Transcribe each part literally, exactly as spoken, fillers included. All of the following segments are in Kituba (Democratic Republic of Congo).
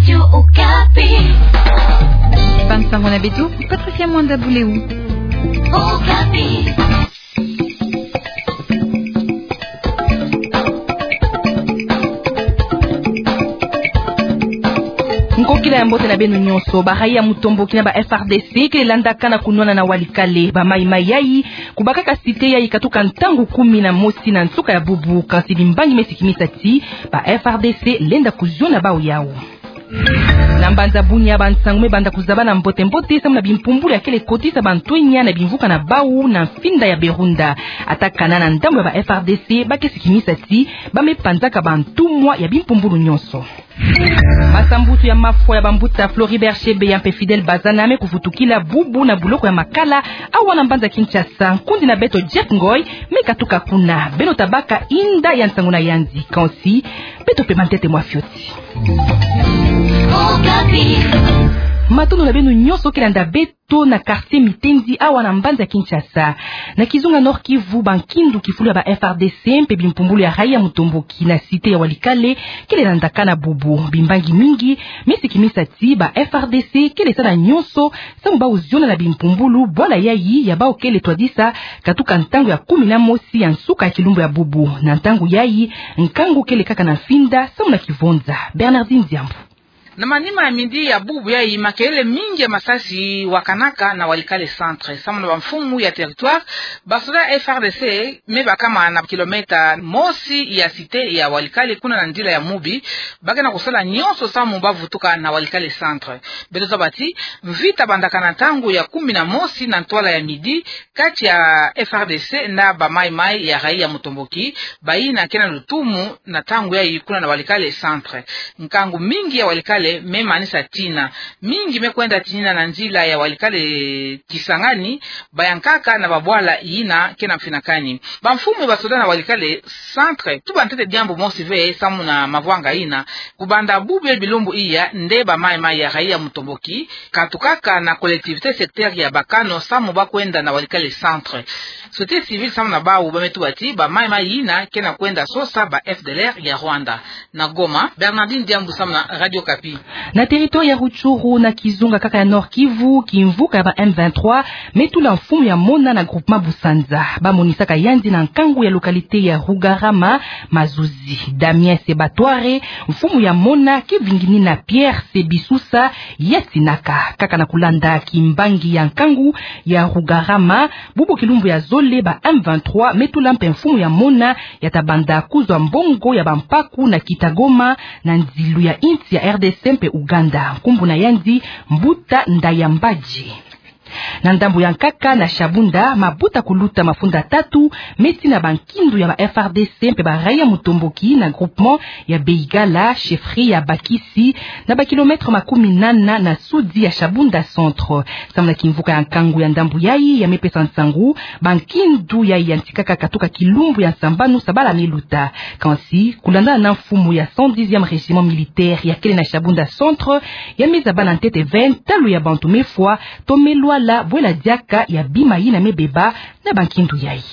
Radio Okapi. Bansango na beto, Patricia Mwanda Buleu. Okapi. Nkokila ya mbote na beno nyonso. Ba raia ya mutomboki na ba F R D C kele landaka na kunwana na Walikale. Ba maimai yayi kubakaka cité yayi katuka ntangu kumi na mosi na nsuka ya bubu, kansi bimbangi me sikimisa ti ba F R D C lenda kuziona bau yau. Na mbanza Bunia, bansangu me banda kuzabana mbote-mbote samu na bimpumbulu ya kele kotisa bantwenya na bimvuka na bau na mfinda ya Berunda. Ata kana na ndambu ya ba F R D C ba ke sikimisa ti ba me panzaka bantumwa ya bimpumbulu nyonso. Masambusu ya mafwa ya bambuta Floribert Chebeya mpe Fidèle Bazana me kuvutukila bubu na buloko ya Makala, awa na mbanza Kinshasa. Nkundi na beto Jeff Ngoy me katuka kuna. Beno ta baka inda ya nsangu na yandi, kansi beto pema ntete mwa fioti. Matondo na beno nyonso ke landa beto na quartier Mitendi awa na mbanza Kinshasa. Na kizunga Nord-Kivu, bankindu kifulu ya ba F R D C mpe bimpumbulu ya raia mutomboki na cité ya Walikale kele landaka na bubu. Bimbangi mingi me sikimisa ti ba F R D C kele sala nyonso samu bau ziona na bimpumbulu bwala yayi ya bau kele twadisa katuka ntangu ya kumi na mosi ya nsuka ya kilumbu ya bubu. Na ntangu yayi, nkangu kele kaka na mfinda samu na kivonza. Bernardine Diambu. Na manima ya midi ya bubu yayi, makelele mingi ya masasi wakanaka na Walikale centre samu na bamfumu ya territoire. Basoda F R D C me bakama na kilomètre mosi ya cité ya Walikale, kuna na nzila ya Mubi. Ba ke na kusala nyonso samu ba vutuka na Walikale centre. Beto zaba ti mvita bandaka na ntangu ya kumi na mosi na ntwala ya midi kati ya F R D C na ba maimai ya raia mutomboki, bayina ke na lutumu na ntangu yayi kuna na Walikale centre. Nkangu mingi ya Walikale me manisa tina. Mingi me kwenda tinina na nzila ya Walikale Kisangani, bayankaka na babwala yina ke na mfinakani. Bamfumu ya basoda na Walikale centre tuba ntete diambu mosi ve samu na mavwanga yina. Kubanda bubu ya bilumbu iya, nde ba maimai ya raia mutomboki katukaka na collectivité secteur ya Bakano samu ba kwenda na Walikale centre. Société civile samu na bau ba me tuba ti ba maimai yina ke na kwenda sosa ba F D L R ya Rwanda. Na Goma, Bernardine Diambu samu na Radio Okapi. Na territoire ya Rutshuru, na kizunga kaka ya Nord-Kivu, kimvuka ya ba M vingt-trois me tula mfumu ya mona na groupement Busanza. Ba monisaka yandi na nkangu ya localité ya Rugarama mazuzi. Damien Sebatware, mfumu ya mona, ke vinginina Pierre Sebisusa, ya tinaka. Kaka na kulanda kimbangi ya nkangu ya Rugarama, bubu kilumbu ya zole, ba M vingt-trois me tula mpe mfumu ya mona ya ta banda kuzwa mbongo ya bampaku na Kitagoma, na nzilu ya insi ya R D C mpe Uganda. Nkumbu na yandi Mbuta Ndayambaje. Na ndambu ya nkaka, na Shabunda, mabuta kuluta mafunda tatu me tina bankindu ya ba F R D C mpe ba raia mutomboki na groupement ya Beigala, chefferie ya Bakisi, na ba kilomètre makumi nana na sudi ya Shabunda centre. Samu na kimvuka ya nkangu ya ndambu yayi ya me pesa nsangu, bankindu yayi ya ntikaka katuka kilumbu ya nsambanu sabala me luta. Kansi, kulandana na mfumu ya cent dixième régiment militaire ya kele na Shabunda centre, ya me zabana ntete ve ntalu ya bantu me fwa to me lwala bwela diaka ya bima yina me beba na bankindu yayi.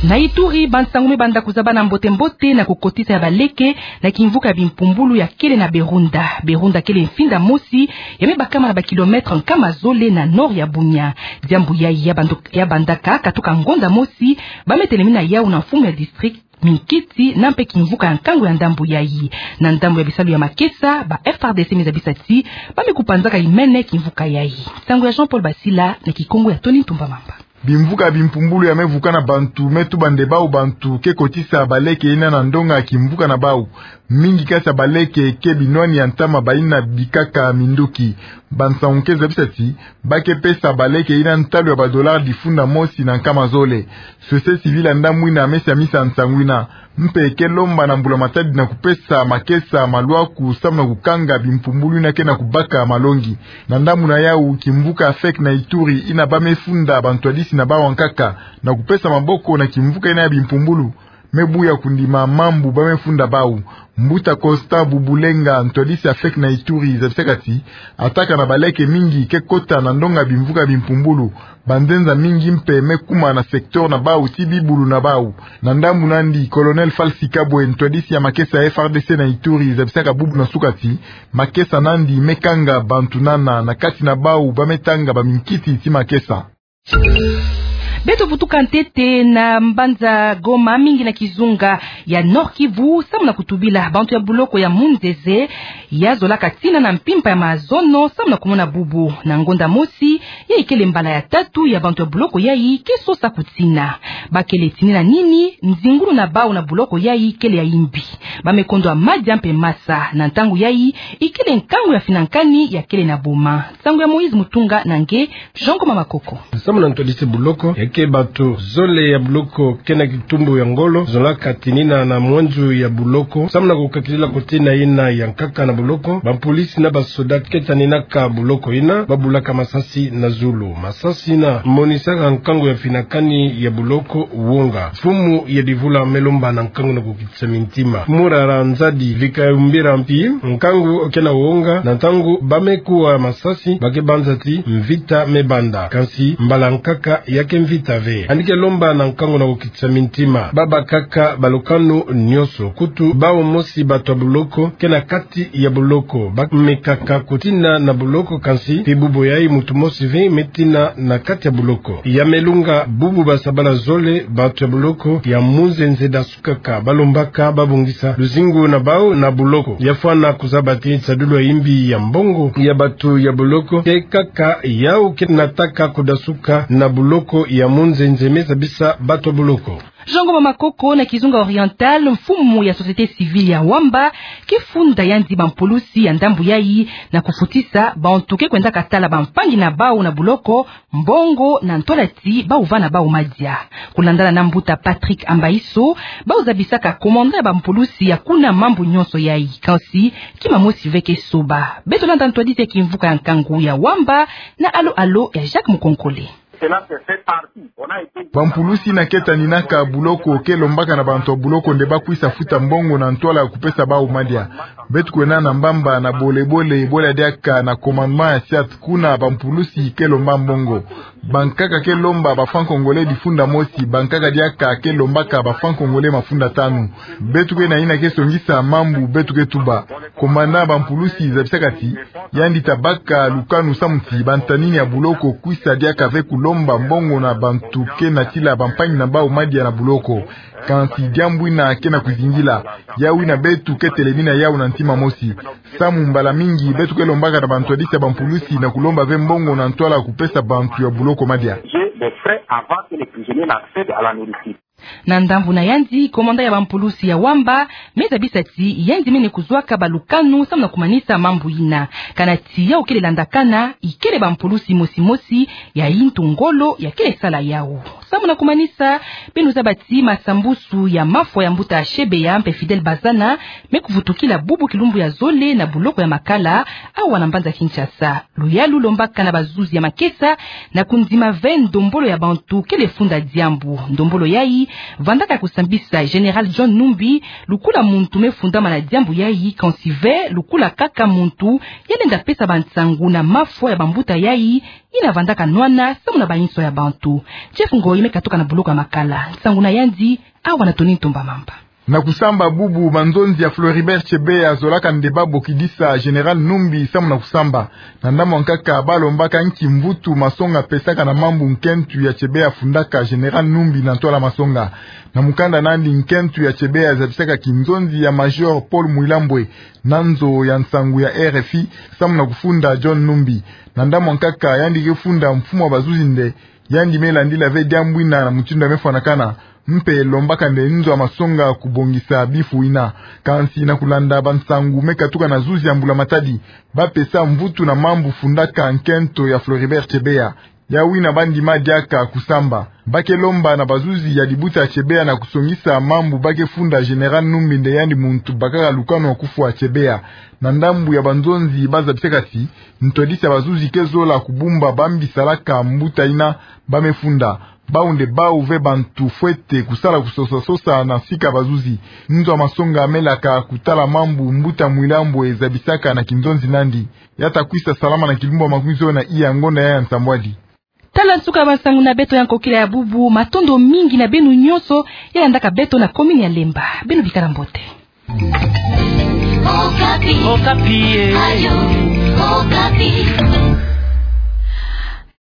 Na Ituri, bansangu me banda kuzabana mbote-mbote na kukotisa ya baleke na kimvuka ya bimpumbulu ya kele na Berunda. Berunda kele mfinda mosi ya me bakama na ba kilomètre nkama zole na nord ya Bunia. Diambu yayi ya bandu-, ya bandaka katuka ngonda mosi, ba me telemina yau na mfumu ya district, minkiti, na mpe kimvuka ya nkangu ya ndambu yayi. Na ndambu ya bisalu ya makesa, ba F R D C me zabisa ti ba me kupanzaka imene kimvuka yayi. Nsangu ya Jean-Paul Basila na Kikongo ya Tony Ntumba Mamba. Bimvuka bimpumbulu ya me vukana bantu me tuba nde bau bantu ke kotisa baleke yina na ndonga kimvuka na bau. Mingi kati ya baleke ke binwani ya ntama bayina bikaka minduki. Bansangu ke zabisa ti ba ke pesa baleke yina ntalu ya ba dollars difunda mosi na nkama zole. Société civile ya ndambu yina me siamisa nsangu yina, mpe ke lomba na mbula matadi na kupesa makesa malwaku samu na kukanga bimpumbulu yina ke na kubaka malongi. Na ndambu na yau, kimvuka ya fek na Ituri yina ba me funda bantwadisi na bau ya nkaka na kupesa maboko na kimvuka yina ya bimpumbulu. me buya kundima mambu ba mefunda bau. Mbuta Costa Bubulenga, ntwadisi ya fek na Ituri, zabisaka ti attaque na baleke mingi ke kota na ndonga bimvuka bimpumbulu. Banzenza mingi mpe me kuma na secteur na bau ti bibulu na bau. Na ndambu nandi, Colonel Falsi Kabwe, ntwadisi ya makesa ya F R D C na Ituri, zabisaka bubu na suka ti makesa nandi me kanga bantu nana na kati na bau ba metanga baminkiti ti makesa. Beto vutuka ntete na mbanza Goma, mingi na kizunga ya Nord-Kivu, samu na kutubila bantu ya buloko ya Munzenze, ya zolaka tina na mpimpa ya mazono, samu na kumona bubu. Na ngonda mosi, ya ikele mbala ya tatu ya bantu ya buloko yayi ke sosa kutina. Ba kele tinina nini, nzingulu na bau na buloko yayi kele ya imbi. Ba me kondwa madia mpe masa, na ntangu yayi, ikele nkangu ya finankani ya kele na boma. Nsangu ya Moïse Mutunga na nge, Jean Ngoma Makoko. Samu na ntwadisi buloko, ya ke bantu zole ya buloko ke na kitumbu ya ngolo, zolaka tinina na mwenzu ya buloko. Samu na kukakidila kutina yina ya nkaka na buloko, bampulisi na basoda ke taninaka buloko yina, ba bulaka masasi na zulu. Masasi yina monisaka nkangu ya finankani ya buloko wonga. Mfumu ya Divula me lomba na nkangu na kukitisa mintima. Murara Nzadi Vikayumbira Mpi, nkangu ke na wonga, na ntangu ba me kuwa masasi, ba ke banza ti mvita me banda. Kansi mbala nkaka ya ke mvita ve. Yandi ke lomba na nkangu na kukitisa mintima. Ba bakaka balukanu nyonso, kutu bau mosi bantu ya buloko ke na kati ya buloko. Ba mekaka kutina na buloko, kansi mpi bubu yayi muntu mosi ve me tina na kati ya buloko. Ya me lunga bubu basabala zole, bantu ya buloko ya Munzenze da kaka, ba lombaka ba bongisa luzingu na bau na buloko. Ya fwana kuzaba ti nsadulu ya imbi ya mbongo ya bantu ya buloko ke kaka yau ke nataka kudasuka na buloko ya Munzenze, me zabisa bantu ya buloko. Jean Ngoma Makoko. Na kizunga Oriental, mfumu ya société civile ya Wamba ke funda yandi bampulusi ya ndambu yayi na kufutisa bantu ke kwendaka tala bampangi na bau na buloko mbongo na ntwala ti bau vana bau madia. Kulandana na mbuta Patrick Ambaiso, bau zabisaka commandant ya bampulusi ya kuna mambu nyonso yayi, kansi kima mosi ve ke soba. Beto landa ntwadisi ya kimvuka ya nkangu ya Wamba na alo alo ya Jacques Mukonkole. Bampulusi yina ke taninaka buloko ke lombaka na bantu ya buloko nde ba kwisa futa mbongo na ntwala ya kupesa bau madia. Beto kwena na Mbamba, na Bole Bole, bole diaka na commandement ya SIAT, kuna bampulusi ke lomba mbongo. Bankaka ke lomba ba francs congolais difunda mosi, bankaka diaka ke lombaka ba francs congolais mafunda tanu. Beto ke na yina ke songisa mambu beto ke tuba. Commandant ya bampulusi zabisaka ti yandi ta baka lukanu samu ti bantanini ya buloko kwisa diaka ve kulomba mbongo na bantu ke natila bampangi na bau madia na buloko. Kansi diambu yina ke na kuzingila. Yau yina beto ke telemina yau na ntima mosi. Samu mbala mingi beto ke lombaka na bantwadisi ya bampulusi na kulomba ve mbongo na ntwala ya kupesa bantu ya buloko madia. J'ai des frais avant que les prisonniers n'accèdent à la nourriture. Na ndambu na yandi, commandant ya bampulusi ya Wamba me zabisa ti yandi mene kuzwaka balukanu samu na kumanisa mambu yina. Kana ti yau kele landakana, ikele bampulusi mosi mosi ya yintu ngolo ya kele sala yau. Samu na kumanisa, beno zaba ti masambusu ya mafwa ya mbuta Chebeya mpe Fidèle Bazana me kuvutukila bubu kilumbu ya zole na buloko ya Makala, awa na mbanza Kinshasa. Luyalu lombaka na bazuzi ya makesa na kundima ve ndombolo ya bantu kele funda diambu. Ndombolo yayi vandaka kusambisa Général John Numbi, lukula muntu me fundama na diambu yayi, kansi ve lukula kaka muntu ya lenda pesa bansangu na mafwa ya bambuta yayi, yina vandaka nwana samu na bayinso ya bantu. Jeff Ngoyi me katuka na buloko ya Makala. Nsangu na yandi, awa na Tony Ntumba Mamba. Na kusamba bubu, banzonzi ya Floribert Chebeya zolaka nde ba bokidisa Général Numbi samu na kusamba. Na ndambu ya nkaka, ba lombaka nki mvutu masonga pesaka na mambu nkento ya Chebeya fundaka Général Numbi na ntwala masonga. Na mukanda nandi, nkento ya Chebeya zabisaka kinzonzi ya Major Paul Mwilambwe na nzo ya nsangu ya R F I samu na kufunda John Numbi. Na ndambu ya nkaka, yandi ke funda mfumu ya bazuzi nde, yandi me landila ve diambu yina na mutindu ya me fwanakana, mpe lombaka nde nzo ya masonga kubongisa bifu yina. Kansi na kulanda bansangu me katuka na zuzi ya Mbula Matadi, ba pesa mvutu na mambu fundaka nkento ya Floribert Chebeya. Yau yina ba ndima diaka kusamba. Ba ke lomba na bazuzi ya dibuta ya Chebeya na kusongisa mambu ba ke funda Général Numbi nde yandi muntu bakaka lukanu ya kufwa Chebeya. Na ndambu ya banzonzi, ba zabisaka ti ntwadisi ya bazuzi ke zola kubumba bambi salaka mbuta yina ba me funda. Bau nde bau ve bantu fwete kusala kusosa-sosa na sika bazuzi. Nzo a masonga melaka kutala mambu mbuta Mwilambo ezabisaka na kinzonzi nandi. Ya ta kwisa salama na kilumbu makumizole na iya ngonda ya nsambwadi. Tala nsuka ya bansangu na beto ya nkokila ya bubu. Matondo mingi na beno nyonso ya landaka beto na commune ya Lemba. Beno bikala mbote. Okapi. Okapi, eh. Radio